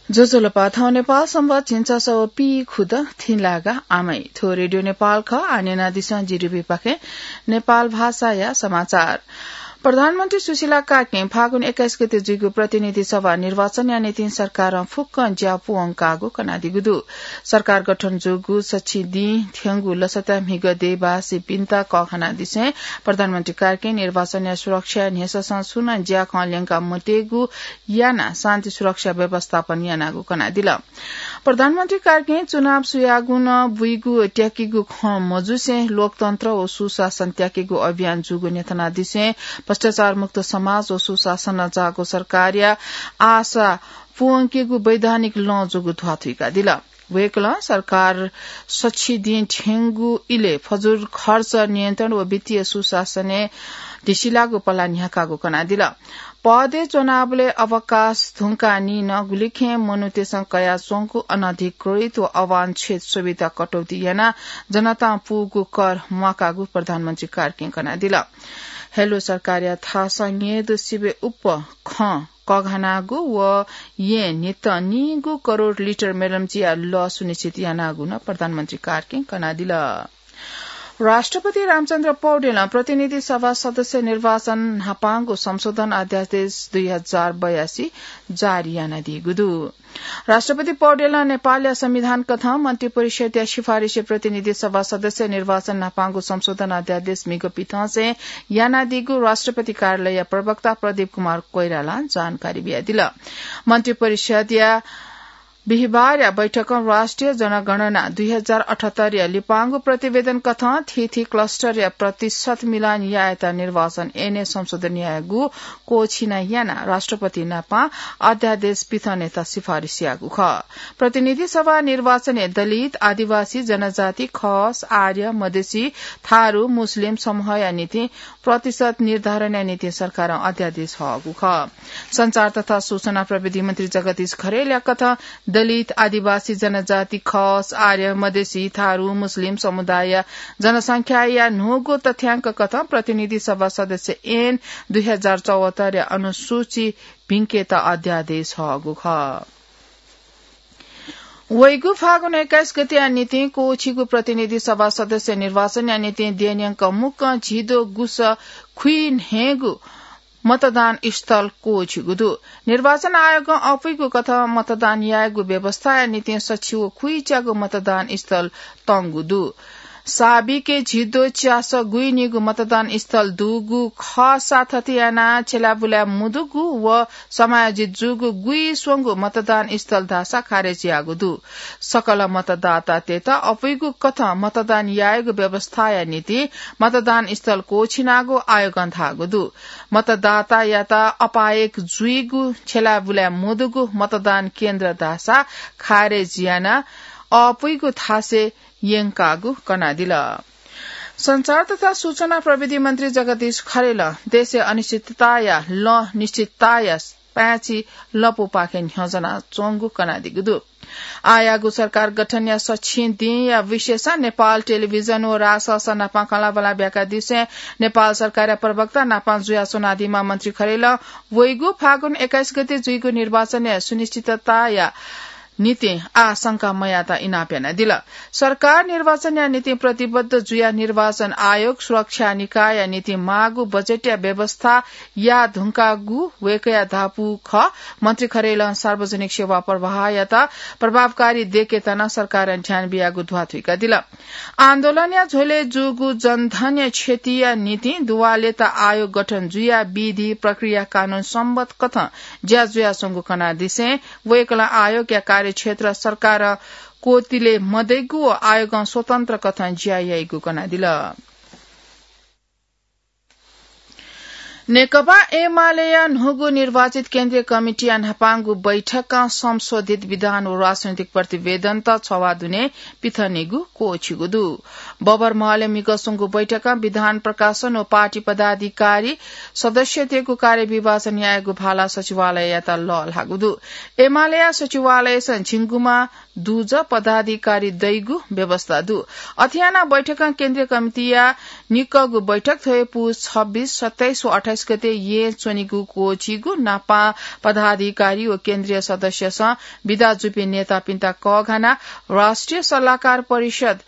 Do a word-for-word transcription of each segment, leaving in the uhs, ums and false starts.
ज्वजलपा, थौं नेपाल संवत् झिंछसः व पीखुदँ थिंलागा आमय। थ्व रेडियो नेपाल खः। आः न्यनादिसँ जीडीबीपाखें नेपाल भाषाया समाचार। प्रधानमन्त्री सुशीला कार्कीं फागुन एक्काइस गते जुइगु प्रतिनिधि सभा निर्वाचनया निंतिं सरकारं फुक्कं ज्या पूवंकागु कनादीगु दु। सरकार गठन जूगु सछि दिं थ्यंगु लसताय् म्हिगः देय्‌बासीपिन्त कःघानादिसें प्रधानमन्त्री कार्कीं निर्वाचनया सुरक्षाया न्ह्यससं सुं नं ज्याखँ ल्यंका मत्येगु यानाः शान्ति सुरक्षा व्यवस्थापन यानागु कनादिल। प्रधानमन्त्री कार्कीं चुनाव सुयागु नं बुइगु त्याकेगु खँ मजुसें लोकतन्त्र व सुशासन त्याकेगु अभियान जूगु न्ह्यथनादिसें भ्रष्टाचार मुक्त समाज व सुशासन जाःगु सरकारया आशा पूवंकेगु वैधानिक लँ जूगु ध्वाथुइकादिल। वय्‌कलं सरकार सछि दिं थ्यंगु इलय् फजुल खर्च नियन्त्रण व वित्तीय सुशासनय् धिसिलाःगु पला न्ह्याकागु कनादिल। पदय् च्वनाबलय् अवकाश धुंकाः निं नं गुलिखें मनूतय्‌सं कयाच्वंगु अनधिकृत व अवांछित सुविधा कटौती यानाः जनतां पूगु कर म्वाकागु प्रधानमन्त्री कार्कीं कनादिल। हेलो सरकारया थासं न्यय्‌दु सिबय् उप्पु खँ कःघानागु व येँ न्हितं निगू करोड लिटर मेलम्चीया लः सुनिश्चित यानागु नं प्रधानमन्त्री कार्कीं कनादिल। राष्ट्रपति रामचन्द्र पौडेलं प्रतिनिधि सभा सदस्य निर्वाचन न्हापांगु संशोधन अध्यादेश दुई हजार बयासी जारी यानादीगु दु। राष्ट्रपति पौडेलं नेपालया संविधान कथं मन्त्री परिषदया सिफारिसय् प्रतिनिधि सभा सदस्य निर्वाचन न्हापांगु संशोधन अध्यादेश म्हिगः पिथंसें यानादीगु राष्ट्रपति कार्यालयया प्रवक्ता प्रदीप कुमार कोइरालां जानकारी बियादिल। मन्त्री परिषदया बिहिबारया बैठकं राष्ट्रिय जनगणना दुई हजार अठहत्तरया लिपांगु प्रतिवेदन कथं थीथी क्लस्टरया प्रतिशत मिलान यायेत निर्वाचन ऐनय् संशोधन यायेगु क्वःछिना यानाः राष्ट्रपति नाप अध्यादेश पिथनेत सिफारिस याःगु खः। प्रतिनिधि सभा निर्वाचनय् दलित, आदिवासी, जनजाति, खस, आर्य, मधेसी, थारु, मुस्लिम समूहया निंतिं प्रतिशत निर्धारणया निंतिं सरकारं अध्यादेश हःगु खः। सञ्चार तथा सूचना प्रविधि मन्त्री जगदीश खरेलया कथं दलित, आदिवासी, जनजाति, खस, आर्य, मधेसी, थारु, मुस्लिम समुदायया जनसंख्याया न्हूगु तथ्यांक कथं प्रतिनिधि सभा सदस्य ऐन दुई हजार चौहत्तरया अनुसूची भिंकेत अध्यादेश हःगु खः। वइगु फागुन एक्काइस गतेया निंतिं क्वःछिगु प्रतिनिधि सभा सदस्य निर्वाचनया निंतिं देय्‌न्यंक मुक्कं झिद्वः गुसः खुइन्हय्‌गू मतदान स्थल क्वःछिगु दु। निर्वाचन आयोगं अपुइगु कथं मतदान यायेगु व्यवस्थाया निंतिं सछि व खुइच्यागू मतदान स्थल तंगु दु। साबिके झिद्वः च्यासः गुइनिगू मतदान स्थल दुगु खःसा थथे यानाः छ्यलाबुलाय् मुदुगु व समायोजित जूगु गुइस्वंगू मतदान स्थल धाःसा खारेज याःगु दु। सकल मतदातातय्‌त अपुइगु कथं मतदान यायेगु व्यवस्थाया निंतिं मतदान स्थल क्वःछिनागु आयोगं धाःगु दु। मतदातायात अपायक जुइगु छ्यलाबुलाय् मुदुगु मतदान केन्द्र धाःसा खारेज यानाः अपुइगु थासय् यंकागु कनादिल। सञ्चार तथा सूचना प्रविधि मन्त्री जगदीश खरेलं देशय् अनिश्चितताया लँ निश्चितताया पाय्‌छि लँपुपाखें न्ह्यज्वना च्वंगु कनादीगु दु। आःयागु सरकार गठनया सछि दिंया विशेषं नेपाल टेलिभिजन व राजसंस्था नाप खँल्हाबल्हा ब्याकादिसें नेपाल सरकारया प्रवक्ता नाप जुया च्वनादीम्ह मन्त्री खरेलं वइगु फागुन एक्काइस गते जुइगु निर्वाचनया सुनिश्चितताया निंतिं आः शंका मयायेत इनाप यानादिल। सरकार निर्वाचनया निंतिं प्रतिबद्ध जुयाः निर्वाचन आयोग, सुरक्षा निकायया निंतिं माःगु बजेटया व्यवस्था याये धुंकागु वय्‌कःया धापू खः। मन्त्री खरेलं सार्वजनिक सेवा प्रवाहयात प्रभावकारी दयेकेत नं सरकारं ध्यान बियागु ध्वाथुइकादिल। आन्दोलनया झ्वलय् जूगु जनधनया क्षतिया निंतिं दुवालेत आयोग गठन जुयाः विधि, प्रक्रिया, कानून सम्बत कथं ज्या जुयाच्वंगु कनादिसें वय्‌कलं आयोगया कार्यक्षेत्र सरकारं क्वःतिले मदइगु व आयोगं स्वतन्त्र कथं ज्या याइगु कनादिल। नेकपा एमालेया न्हूगु निर्वाचित केन्द्रीय कमिटीया न्हापांगु बैठकं संशोधित विधान व राजनैतिक प्रतिवेदनत छ्ववाः दुने पिथनेगु क्वःछिगु दु। बबरमहलय् म्हिगः स्वंगु बैठकं विधान प्रकाशन व पार्टी पदाधिकारी सदस्यतय्‌गु कार्यविभाजन यायेगु भाला सचिवालययात लःल्हाःगु दु। एमालेया सचिवालयसं झिंगुमा दुजः पदाधिकारी दइगु व्यवस्था दु। अथे यानाः बैठकं केन्द्रीय कमिटीया निकःगु बैठक थ्व हे पुस छब्बीस, सत्ताइस व अट्ठाइस गते येँ च्वनीगु क्वःछिइगु नापं पदाधिकारी व केन्द्रीय सदस्यसं बिदा जूपिं नेतापिन्त कःघानाः राष्ट्रिय सल्लाहकार परिषद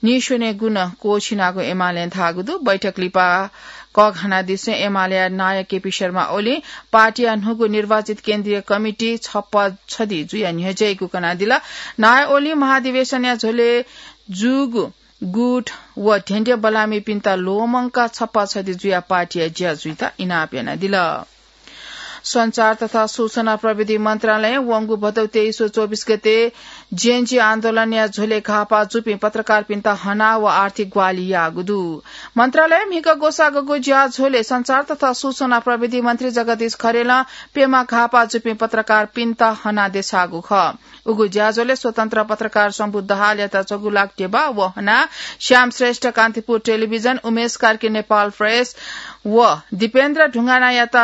नीस्वनेगु नं क्वःछिनागु एमालें धाःगु दु। बैठक लिपा कःघानादिसें एमालेया नायः केपी शर्मा ओलीं पार्टीया न्हूगु निर्वाचित केन्द्रीय कमिटी छप्पा छधि जुयाः न्ह्यज्याइगु कनादिल। नायः ओलीं महाधिवेशनया झ्वलय् जूगु गुट व ध्यंध्यं बल्लाःमिपिन्त ल्वःमंकाः छप्पा छधि जुयाः पार्टीया ज्या जुइत इनाप यानादिल। सञ्चार तथा सूचना प्रविधि मन्त्रालयं वंगु भदौ तेइस व चौबिस गते जेनजी आन्दोलनया झ्वलय् घाःपाः जूपिं पत्रकारपिन्त हना व आर्थिक ग्वाहालि याःगु दु। मन्त्रालयं म्हिगः ग्वसाःगु ज्याझ्वलय् सञ्चार तथा सूचना प्रविधि मन्त्री जगदीश खरेलं प्यम्ह घाःपाः जूपिं पत्रकारपिन्त हना देछाःगु खः। उगु ज्याझ्वलय् स्वतन्त्र पत्रकार शम्भु दाहालयात छगू लाख ध्यबा व हना, श्याम श्रेष्ठ कान्तिपुर टेलिभिजन, उमेश कार्की नेपाल प्रेस व दीपेन्द्र ढुङ्गानायात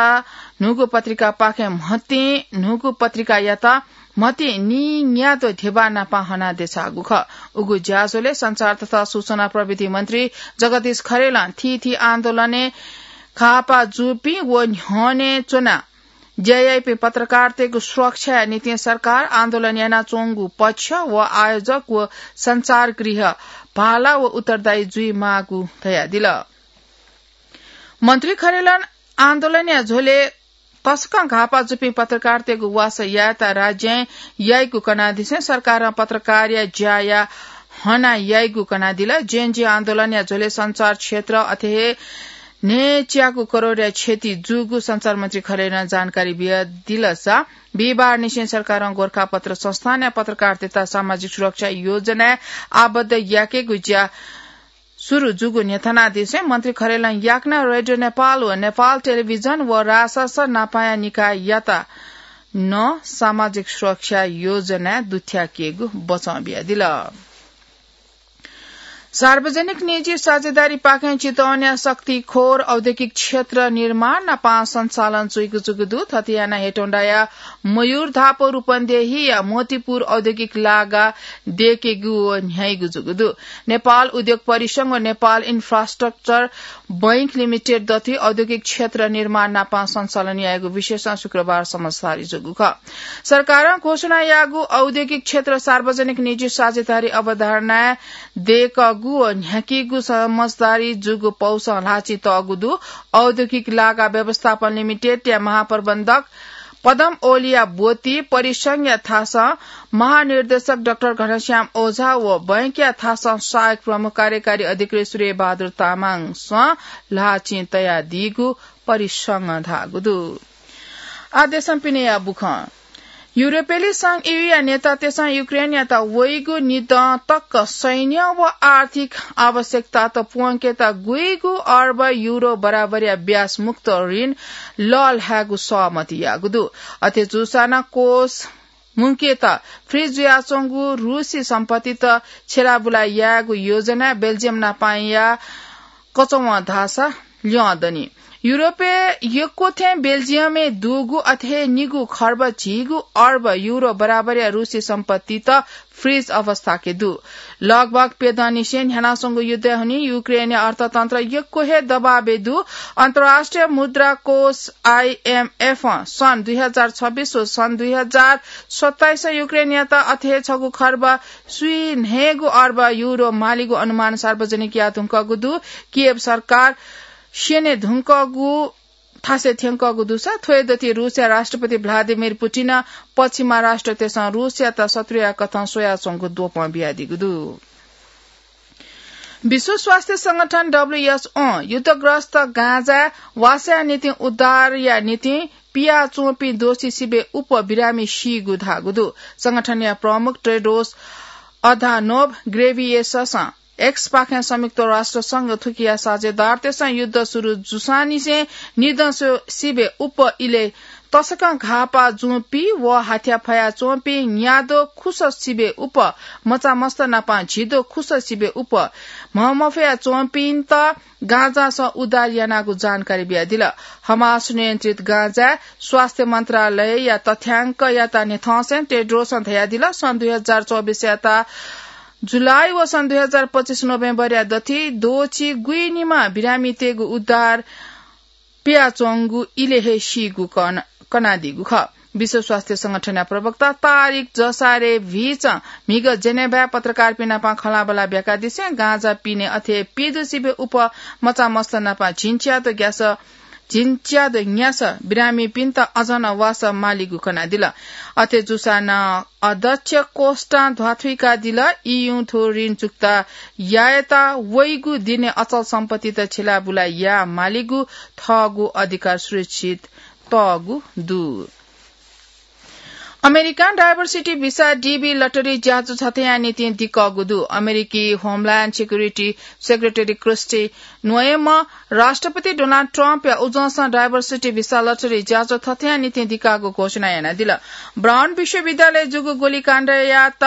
न्हूगु पत्रिकापाखें म्हतिं न्हूगु पत्रिकायात म्हतिं नीन्याद्वः ध्यबा नापं हना देछाःगु खः। उगु ज्याझ्वलय् सञ्चार तथा सूचना प्रविधि मन्त्री जगदीश खरेलं थीथी आन्दोलनय् घाःपाः जूपिं व न्ह्यःने च्वनाः ज्या याइपिं पत्रकारतय्गु सुरक्षाया निंतिं सरकार, आन्दोलन यानाच्वंगु पक्ष व आयोजक व सञ्चारगृह भाला व उत्तरदायी जुइमाःगु धयादिल। मन्त्री खरेलं आन्दोलनया झ्वलय् तसकं घाःपाः जूपिं पत्रकारतय्गु वासः यायेत राज्यं याइगु कनादिसें सरकारं पत्रकारया ज्याया हना याइगु कनादिल। जेनजी आन्दोलनया झ्वलय् सञ्चार क्षेत्र अथे हे न्हय्च्यागु करोडया क्षति जूगु सञ्चार मन्त्री खरेलं जानकारी बियादिलसा, बिहिबारनिसें सरकारं गोरखापत्र संस्थानया पत्रकारतय्त सामाजिक सुरक्षा योजनाय् आबद्ध याकेगु ज्या सुरु जूगु न्ह्यथनादिसें मन्त्री खरेलं याकनं रेडियो नेपाल व नेपाल टेलिभिजन व रासस नापाया निकाययात नं सामाजिक सुरक्षा योजनाय् दुथ्याकेगु बचं बियादिल। सार्वजनिक निजी साझेदारीपाखें चितवनया शक्तिखोर औद्योगिक क्षेत्र निर्माण नापं सञ्चालन जुइगु जूगु दु। थथे यानाः हेटौंडाया मयूर धापू रूपन्देहीया मोतीपुर औद्योगिक लागा दयेकेगु व न्ह्याइगु जूगु दु। नेपाल उद्योग परिसंघ व नेपाल इन्फ्रास्ट्रक्चर बैंक लिमिटेड दथुइ औद्योगिक क्षेत्र निर्माण नापं सञ्चालन याइगु विषयसं शुक्रबार समझदारी जूगु खः। सरकारं घोषणा याःगु औद्योगिक क्षेत्र सार्वजनिक निजी साझेदारी अवधारणाय् दयेकूगु व न्ह्याकीगु समझदारी जूगु पौसं ल्हाःचिं तःगु दु। औद्योगिक लागा व्यवस्थापन लिमिटेडया महाप्रबन्धक पदम ओलीया ब्वति, परिसंघया थासं महानिर्देशक डाक्टर घनश्याम ओझा व बैंकया थासं सहायक प्रमुख कार्यकारी अधिकृत सूर्यबहादुर तामाङसं ल्हाःचिं तयादीगु परिसंघं धाःगु दु। आः देशं पिनेया बुखँ। युरोपेली संघ ईयूया नेतातय्सं युक्रेनयात वइगु निदँ तक सैन्य व आर्थिक आवश्यकतात प्वंकेत गुइगु अर्ब युरो बराबरया ब्याज मुक्त ऋण लःल्हायेगु सहमति याःगु दु। अथे जूसां नं कोष मुंकेत फ्रिज जुयाच्वंगु रूसी सम्पत्तित छ्यलाबुला यायेगु योजना बेल्जियम नापंया कचवं धाःसा ल्यं दनि। युरोपय् यक्व थें बेल्जियमय् दुगु अथे हे निगू खर्ब झिगू अर्ब युरो बराबरया रूसी सम्पत्तित फ्रिज अवस्थाके दु। लगभग प्यदँनिसें न्ह्यानाच्वंगु युद्धया हुनिं युक्रेनया अर्थतन्त्र यक्व हे दबाबय् दु। अन्तर्राष्ट्रिय मुद्रा कोष आइएमएफं सन् दुई हजार छब्बीस व सन् दुई हजार सत्ताइसं युक्रेनयात अथे हे छगू खर्ब स्वीन्हय्गू अर्ब युरो मालीगु अनुमान सार्वजनिक याये धुंकूगु दु। किएव सरकार स्यने धुंकूगु थासय् थ्यंकूगु दुसा थ्व हे दथुइ रूसया राष्ट्रपति भ्लादिमिर पुटिनं पश्चिमा राष्ट्रतय्सं रूसयात शत्रुया कथं स्वयाच्वंगु द्वपं बियादीगु दु। विश्व स्वास्थ्य संगठन, डब्ल्यूएचओ, युद्धग्रस्त गाजाय् वासःया निंतिं उद्धारया निंतिं पियाच्वंपिं दोषी सिबें उप्वः बिरामी सीगु धाःगु दु। संगठनया प्रमुख टेड्रोस अधानोभ ग्रेभियेससं एक्सपाखें संयुक्त राष्ट्र संघ थुकिया साझेदारतय्सं युद्ध सुरु जूसांनिसें निदँ स्व-, सिबें उप्वः इलय् तसकं घाःपाः जूपिं व हाथ्या फयाच्वंपिं न्याद्वः खुसः सिबें उप्वः, मचामस्त नापं झिद्वः खुसः सिबें उप्वः म्हमफया च्वंपिन्त गाजासं उद्धार यानागु जानकारी बियादिल। हमास नियन्त्रित गाजाय् स्वास्थ्य मन्त्रालयया तथ्यांकयात न्ह्यथंसें टेड्रोसं धयादिल, सन् दुई हजार चौबिसयात जुलाई वसं दुई हजार पच्चिस नोभेम्बरया दथि द्वःछि गुइनिमा बिरामीतय्गु उद्धार पियाच्वंगु इलय् हे सीगु कन-, कनादीगु खः। विश्व स्वास्थ्य संगठनया प्रवक्ता तारिक जसारे भिचं म्हिगः जेनेभाय् पत्रकारपिं नाप खँल्हाबल्हा ब्याकादिसें गाँजा पिने अथे पिदुसिबय् उप मचामस्त नाप झिंच्यादँ ग्यास, झिंच्यादँ न्यास बिरामीपिन्त अझ नं वासः मालीगु कनादिल। अथे जूसां नं अध्यक्ष कोष्टां ध्वाथुइकादिल, ईयुं थ्व ऋण चुक्ता यायेत वइगु दिनय् अचल सम्पत्तित छिलाबुला याये मालीगु थःगु अधिकार सुरक्षित तःगु दु। अमेरिकां diversity भिसा DV lottery ज्याझ्वः थथेया निंतिं दिकःगु दु। अमेरिकी Homeland Security Secretary Kristi नोएमं राष्ट्रपति डोनाल्ड ट्रम्पया उजंसं diversity भिसा lottery ज्याझ्वः थथेया निंतिं दिकाःगु घोषणा यानादिल। ब्राउन विश्वविद्यालयय् जूगु गोलीकाण्डयात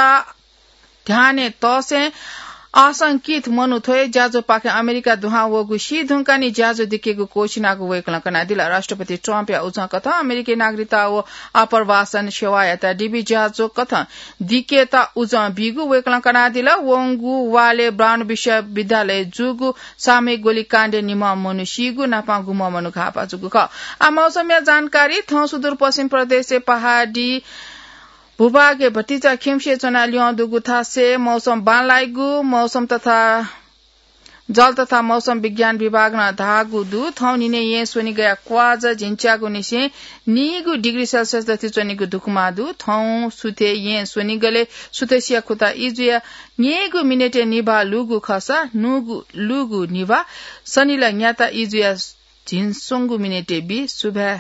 ध्यानय् तःसें आशंकित मनू थ्व हे ज्याझ्वःपाखें अमेरिका दुहां वःगु सी धुंकाः निं ज्याझ्वः दिकेगु क्वःछिनागु वय्कलं कनादिल। राष्ट्रपति ट्रम्पया उजंकथं अमेरिकी नागरिकता व आप्रवासन सेवायात DV ज्याझ्वः कथं दिकेत उजं बीगु वय्कलं कनादिल। वंगु वालय् ब्राउन विश्वविद्यालयय् जूगु सामूहिक गोलीकाण्डय् निम्ह मनू सीगु नापं गुम्ह मनू घाःपाः जूगु खः। आः मौसमया जानकारी। थौं सुदूरपश्चिम प्रदेशय् पहाडी भूभागय् भतिचा खिउँसे च्वनाः ल्यं दुगु थासय् मौसम बांलाइगु मौसम तथा जल तथा मौसम विज्ञान विभागं धाःगु दु। थौं न्हिनय् येँ स्वनिगःया क्वाःझः झिंच्यागुनिसें नीगू डिग्री सेल्सियस दथुइ च्वनीगु दुखुमाः दु। थौं सुथय् येँ स्वनिगलय् सुथसिया खुता इजुया न्यय्गू मिनेटय् निभाः लूगु खःसा न्हूगु लूगु निभाः सनिलय् न्याता इजुया झिंस्वंगू मिनेटय् बी। सुभाय्